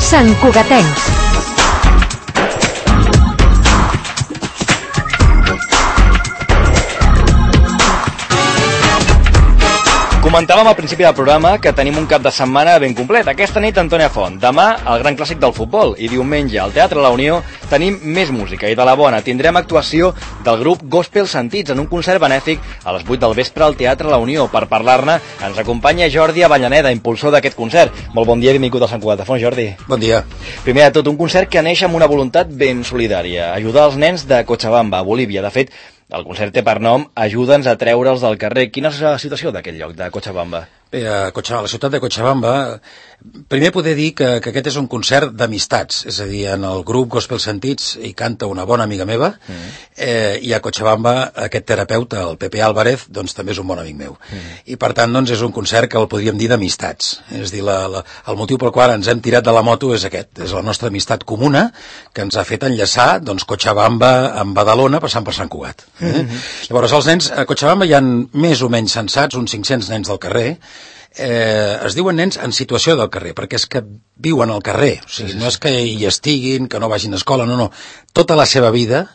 Santcugatencs. Comentàvem al principi del programa que tenim un cap de setmana ben complet. Aquesta nit Antònia Font, demà el gran clàssic del futbol i diumenge al Teatre La Unió tenim més música i de la bona. Tindrem actuació del grup Gospel Sentits en un concert benèfic a les 8 del vespre al Teatre La Unió. Per parlar-ne ens acompanya Jordi Avellaneda, impulsor d'aquest concert. Molt bon dia i benvingut al Sant Cugat de Font, Jordi. Bon dia. Primer de tot, un concert que neix amb una voluntat ben solidària, ajudar els nens de Cochabamba, a Bolívia. De fet, el concert té per nom Ajuda'ns a treure'ls del carrer. Quina és la situació d'aquest lloc, de Cochabamba? Bé, a la ciutat de Cochabamba, primer poder dir que aquest és un concert d'amistats, és a dir, en el grup Gospel Sentits hi canta una bona amiga meva, i a Cochabamba aquest terapeuta, el Pepe Álvarez, doncs també és un bon amic meu. I per tant, doncs, és un concert que el podríem dir d'amistats. És a dir, el motiu pel qual ens hem tirat de la moto és aquest, és la nostra amistat comuna que ens ha fet enllaçar, doncs, Cochabamba amb Badalona passant per Sant Cugat. Llavors, els nens, a Cochabamba hi ha més o menys censats, uns 500 nens del carrer. Es diuen nens en situació del carrer, perquè és que viuen al carrer, o sigui, no és que hi estiguin, que no vagin a escola, no. Tota la seva vida,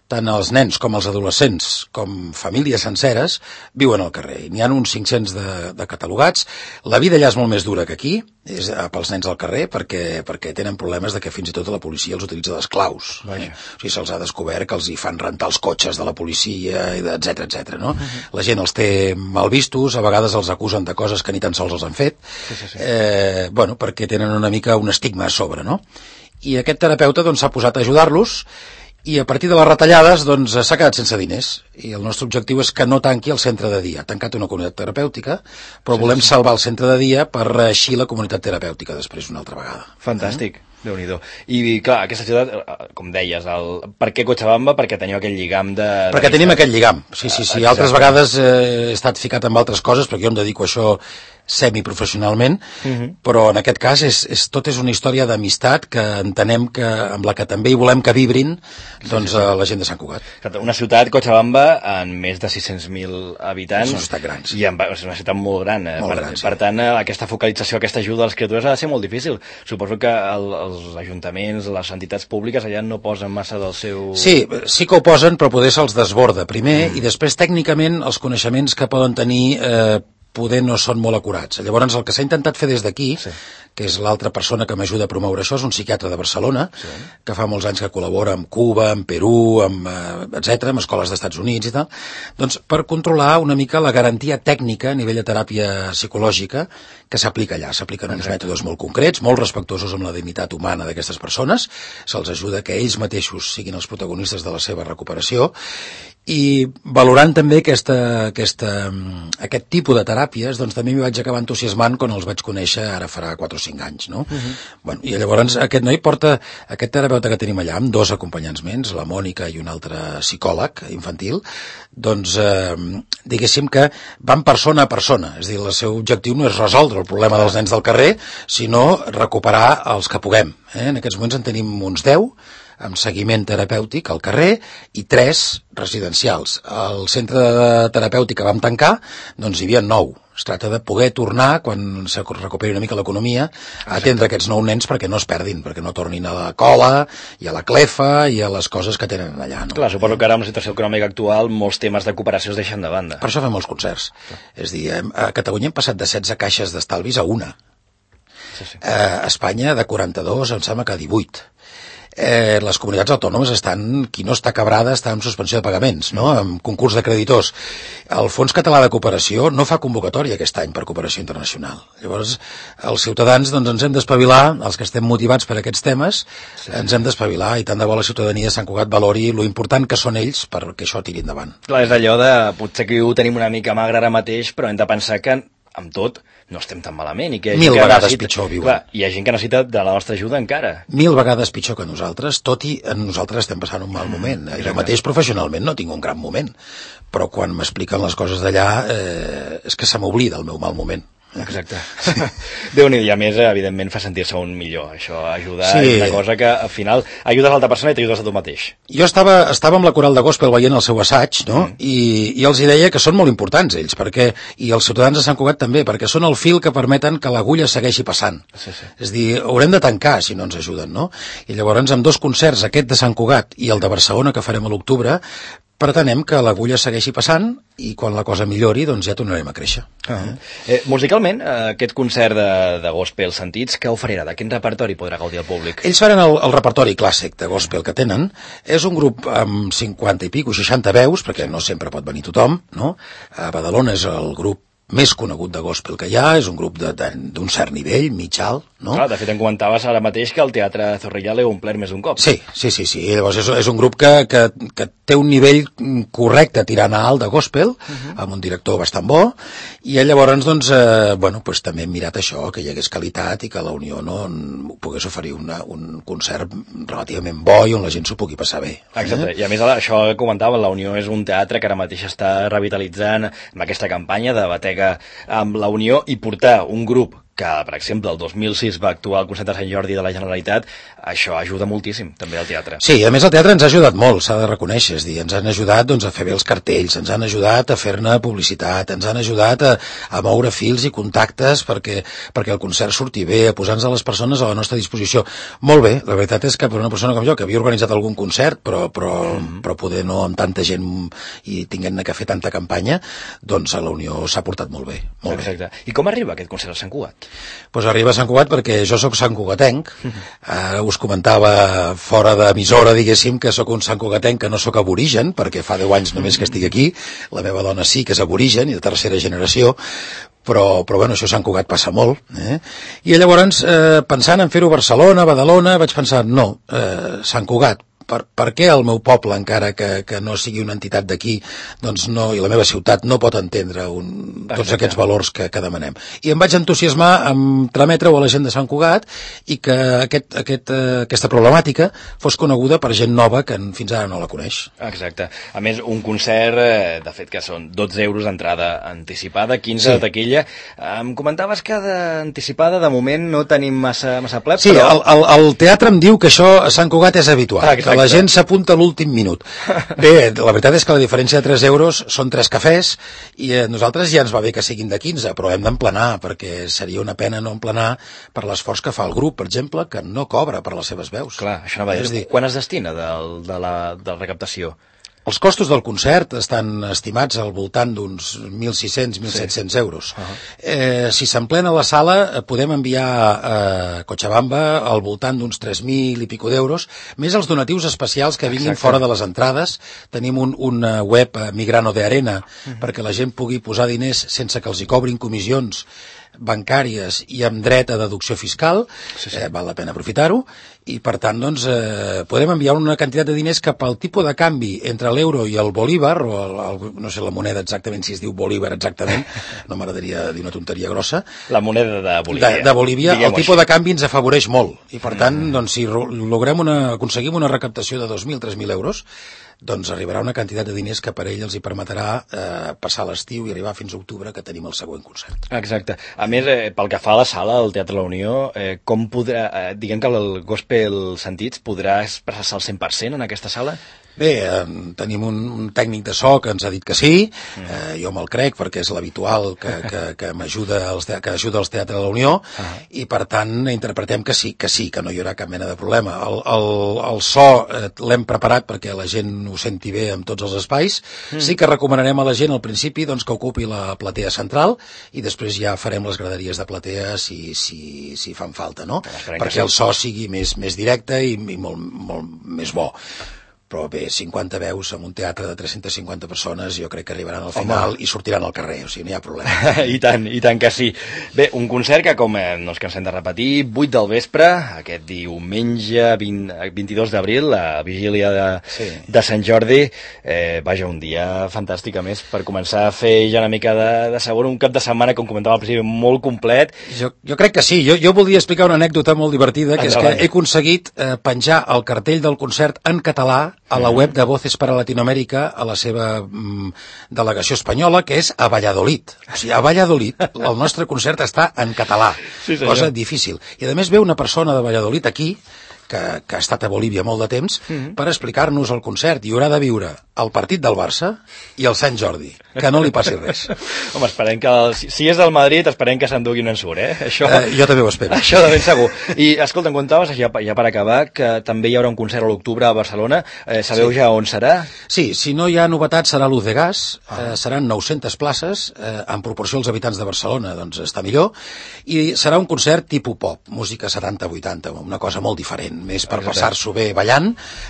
tant els nens com els adolescents, com famílies senceres, viuen al carrer. N'hi ha uns 500 de catalogats. La vida allà és molt més dura que aquí, és pels nens al carrer, perquè tenen problemes de que fins i tot la policia els utilitza d'esclaus. O sigui, se'ls ha descobert que els hi fan rentar els cotxes de la policia, etc. No? La gent els té mal vistos, a vegades els acusen de coses que ni tan sols els han fet, perquè tenen una mica un estigma a sobre, no? I aquest terapeuta doncs s'ha posat a ajudar-los, i a partir de les retallades doncs s'ha quedat sense diners, i el nostre objectiu és que no tanqui el centre de dia. Ha tancat una comunitat terapèutica, però volem salvar el centre de dia per reeixir la comunitat terapèutica després una altra vegada. Fantàstic. Déu-n'hi-do. I clar, aquesta ciutat, com deies, per què Cochabamba? Perquè teniu aquell lligam de... Perquè tenim aquest lligam, sí. Altres vegades he estat ficat amb altres coses, perquè jo em dedico a això semiprofessionalment, però en aquest cas tot és una història d'amistat que entenem que amb la que també hi volem que vibrin doncs la gent de Sant Cugat. Una ciutat, Cochabamba, amb més de 600.000 habitants. És una ciutat gran, sí. I és una ciutat molt gran. Per tant, aquesta focalització, aquesta ajuda a les criatures ha de ser molt difícil. Suposo que els ajuntaments, les entitats públiques allà no posen massa del seu... Sí que ho posen, però poder se'ls desborda primer, i després tècnicament els coneixements que poden tenir poder no són molt acurats. Llavors el que s'ha intentat fer des d'aquí, que és l'altra persona que m'ajuda a promoure això, és un psiquiatre de Barcelona, que fa molts anys que col·labora amb Cuba, amb Perú, etc., amb escoles d'Estats Units i tal, doncs per controlar una mica la garantia tècnica a nivell de teràpia psicològica que s'aplica allà. S'apliquen uns mètodes molt concrets, molt respectuosos amb la dignitat humana d'aquestes persones, se'ls ajuda que ells mateixos siguin els protagonistes de la seva recuperació, i valorant també aquest tipus de teràpies, doncs també m'hi vaig acabar entusiasmant quan els vaig conèixer ara farà 4 o 5 anys, no? I llavors aquest noi porta, aquest terapeuta que tenim allà, amb 2 acompanyants més, la Mònica i un altre psicòleg infantil, doncs diguéssim que van persona a persona, és a dir, el seu objectiu no és resoldre el problema dels nens del carrer, sinó recuperar els que puguem. En aquests moments en tenim uns 10, amb seguiment terapèutic al carrer, i 3 residencials. Al centre terapèutic que vam tancar, doncs hi havia 9. Es tracta de poder tornar, quan se recuperi una mica l'economia, a atendre aquests 9 nens perquè no es perdin, perquè no tornin a la cola i a la clefa i a les coses que tenen allà. No? Clar, suposo que ara amb la situació econòmica actual molts temes de cooperació es deixen de banda. Per això fem molts concerts. És a dir, a Catalunya hem passat de 16 caixes d'estalvis a una. A Espanya de 42 em sembla que a 18. Les comunitats autònomes qui no està quebrada està en suspensió de pagaments, no? En concurs de creditors. El Fons Català de Cooperació no fa convocatòria aquest any per cooperació internacional. Llavors, els ciutadans doncs, ens hem d'espavilar, els que estem motivats per aquests temes, ens hem d'espavilar, i tant de bo la ciutadania de Sant Cugat valori lo important que són ells perquè això tiri endavant. Clar, és allò de, potser que ho tenim una mica magre ara mateix, però hem de pensar que amb tot no estem tan malament, i que 1000 vegades pitjor viuen. Clar, hi ha gent que necessita de la nostra ajuda encara. 1000 vegades pitjor que nosaltres, tot i nosaltres estem passant un mal moment. Jo mateix professionalment no tinc un gran moment, però quan m'expliquen les coses d'allà és que se m'oblida el meu mal moment. Exacte. Déu-n'hi-do, i a més, evidentment, fa sentir-se un millor. Això ajuda, és una cosa que al final ajudes a l'altra persona i t'ajudes a tu mateix. Jo estava amb la coral de gospel veient el seu assaig, no? I els hi deia que són molt importants ells, perquè, i els ciutadans de Sant Cugat també, perquè són el fil que permeten que l'agulla segueixi passant. Sí. És a dir, haurem de tancar si no ens ajuden, no? I llavors, amb 2 concerts, aquest de Sant Cugat i el de Barcelona, que farem a l'octubre, pretenem que l'agulla segueixi passant i quan la cosa millori doncs ja tornarem a créixer. Musicalment, aquest concert de gospel sentits, què oferirà? De quin repertori podrà gaudir el públic? Ells faran el repertori clàssic de gospel que tenen. És un grup amb 50 i pico, 60 veus, perquè no sempre pot venir tothom, no? A Badalona és el grup més conegut de gospel que hi ha, és un grup d'un cert nivell, mig alt, no? Clar, de fet, em comentaves ara mateix que el Teatre Zorrilla l'heu omplert més d'un cop. Sí. Llavors és un grup que té un nivell correcte tirant a alt de gospel, amb un director bastant bo, i llavors, doncs, també hem mirat això, que hi hagués qualitat i que la Unió no pogués oferir un concert relativament bo i on la gent s'ho pugui passar bé. Exacte, i a més això que comentava, la Unió és un teatre que ara mateix està revitalitzant amb aquesta campanya de batega amb la Unió i portar un grup que, per exemple, el 2006 va actuar al concert de Sant Jordi de la Generalitat, això ajuda moltíssim, també, al teatre. Sí, a més el teatre ens ha ajudat molt, s'ha de reconèixer, és a dir, ens han ajudat doncs, a fer bé els cartells, ens han ajudat a fer-ne publicitat, ens han ajudat a moure fils i contactes perquè el concert surti bé, a posar-nos a les persones a la nostra disposició. Molt bé, la veritat és que per una persona com jo, que havia organitzat algun concert, però poder no amb tanta gent i tinguent de fer tanta campanya, doncs a la Unió s'ha portat molt bé. Exacte. I com arriba aquest concert a Sant Cugat? Pues arriba a Sant Cugat perquè jo sóc santcugatenc, us comentava fora d'emissora, diguéssim, que sóc un santcugatenc que no sóc aborigen, perquè fa 10 anys només que estic aquí, la meva dona sí que és aborigen i de tercera generació, però bueno, això a Sant Cugat passa molt, I llavors, pensant en fer-ho a Barcelona, a Badalona, vaig pensar, no, Sant Cugat, per què el meu poble, encara que no sigui una entitat d'aquí, doncs no, i la meva ciutat no pot entendre tots aquests valors que demanem. I em vaig entusiasmar amb trametre-ho a la gent de Sant Cugat i que aquesta problemàtica fos coneguda per gent nova que fins ara no la coneix. Exacte. A més, un concert, de fet, que són 12 euros d'entrada anticipada, 15 de taquilla. Em comentaves que d'anticipada, de moment, no tenim massa ple, sí, però... el teatre em diu que això a Sant Cugat és habitual, que la gent s'apunta a l'últim minut. Bé, la veritat és que la diferència de 3 euros són 3 cafès i nosaltres ja ens va bé que siguin de 15, però hem d'emplenar, perquè seria una pena no emplenar per l'esforç que fa el grup, per exemple, que no cobra per les seves veus. Clar, això no va dir. Quan es destina de la recaptació? Els costos del concert estan estimats al voltant d'uns 1.600-1.700 euros. Si s'emplena la sala, podem enviar a Cochabamba al voltant d'uns 3.000 i pico d'euros, més els donatius especials que vinguin fora de les entrades. Tenim una web Migrano de Arena perquè la gent pugui posar diners sense que els hi cobrin comissions bancàries i amb dret a deducció fiscal, val la pena aprofitar-ho, i per tant doncs, podem enviar una quantitat de diners que pel tipus de canvi entre l'euro i el bolívar, o no sé la moneda exactament, si es diu bolívar exactament, no m'agradaria dir una tonteria grossa. La moneda de Bolívia. De Bolívia, el tipus de canvi ens afavoreix molt, i per tant, doncs, si aconseguim una recaptació de 2.000-3.000 euros, doncs arribarà una quantitat de diners que per ell els hi permetrà passar l'estiu i arribar fins a octubre, que tenim el següent concert. Exacte. A més, pel que fa a la sala, al Teatre La Unió, com podrà, diguem que el gospel sentits podrà expressar-se al 100% en aquesta sala? Bé, tenim un tècnic de so que ens ha dit que sí, jo me'l crec perquè és l'habitual que m'ajuda que ajuda als Teatre de la Unió, i per tant interpretem que sí, que no hi haurà cap mena de problema. El so l'hem preparat perquè la gent ho senti bé en tots els espais. Sí que recomanarem a la gent al principi doncs, que ocupi la platea central i després ja farem les graderies de platea si fan falta, no? Perquè el so sigui més directe i molt més bo. Però bé, 50 veus en un teatre de 350 persones jo crec que arribaran al final i sortiran al carrer, o sigui, no hi ha problema. I tant que sí. Bé, un concert que, com no ens cansem de repetir, 8 del vespre, aquest diumenge 22 d'abril, la vigília de Sant Jordi, vaja, un dia fantàstic, a més, per començar a fer ja una mica de sabor, un cap de setmana, com comentava al principi, molt complet. Jo crec que sí, jo voldria explicar una anècdota molt divertida, que és que he aconseguit penjar el cartell del concert en català a la web de Voces para Latinoamèrica, a la seva delegació espanyola, que és a Valladolid. O sigui, a Valladolid el nostre concert està en català, cosa difícil. I a més ve una persona de Valladolid aquí, que ha estat a Bolívia molt de temps, per explicar-nos el concert, i haurà de viure el partit del Barça i el Sant Jordi, que no li passi res. Home, esperem que, si és del Madrid, esperem que s'endugui un ensurt, Això, jo també ho espero. Això de ben segur. I, escolta, em contaves, ja per acabar, que també hi haurà un concert a l'octubre a Barcelona. Sabeu ja on serà? Sí, si no hi ha novetats serà l'Uz de Gas, seran 900 places, en proporció als habitants de Barcelona, doncs està millor, i serà un concert tipus pop, música 70-80, una cosa molt diferent, més per passar-s'ho bé ballant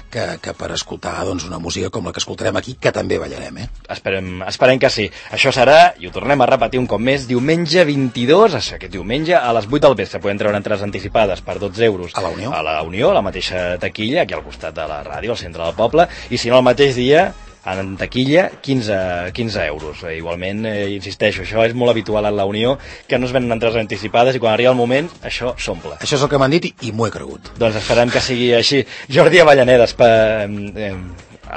que per escoltar doncs, una música com la que escoltarem aquí, que també ballarem. Esperem que sí. Això serà, i ho tornem a repetir un cop més, diumenge 22, aquest diumenge, a les 8 del vespre. Podem treure entrades anticipades per 12 euros a la Unió. A la Unió, la mateixa taquilla, aquí al costat de la ràdio, al centre del poble, i si no, el mateix dia, en taquilla, 15 euros. Igualment, insisteixo, això és molt habitual a la Unió, que no es venen entrades anticipades i quan arriba el moment, això s'omple. Això és el que m'han dit i m'ho he cregut. Doncs esperem que sigui així. Jordi Avellanedes,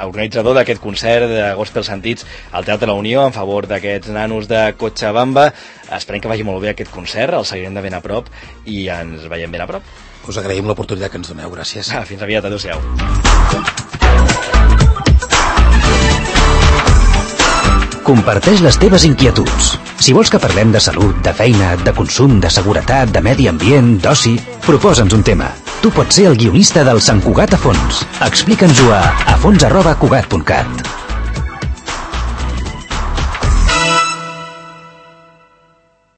organitzador d'aquest concert de Gospel Sentits al Teatre La Unió en favor d'aquests nanos de Cochabamba. Esperem que vagi molt bé aquest concert, el seguirem de ben a prop i ens veiem ben a prop. Us agraïm l'oportunitat que ens doneu, gràcies. Fins aviat, adéu-siau. Comparteix les teves inquietuds. Si vols que parlem de salut, de feina, de consum, de seguretat, de medi ambient, d'oci, proposa'ns un tema. Tu pots ser el guionista del Sant Cugat a fons. Explica'ns-ho a fons@cugat.cat.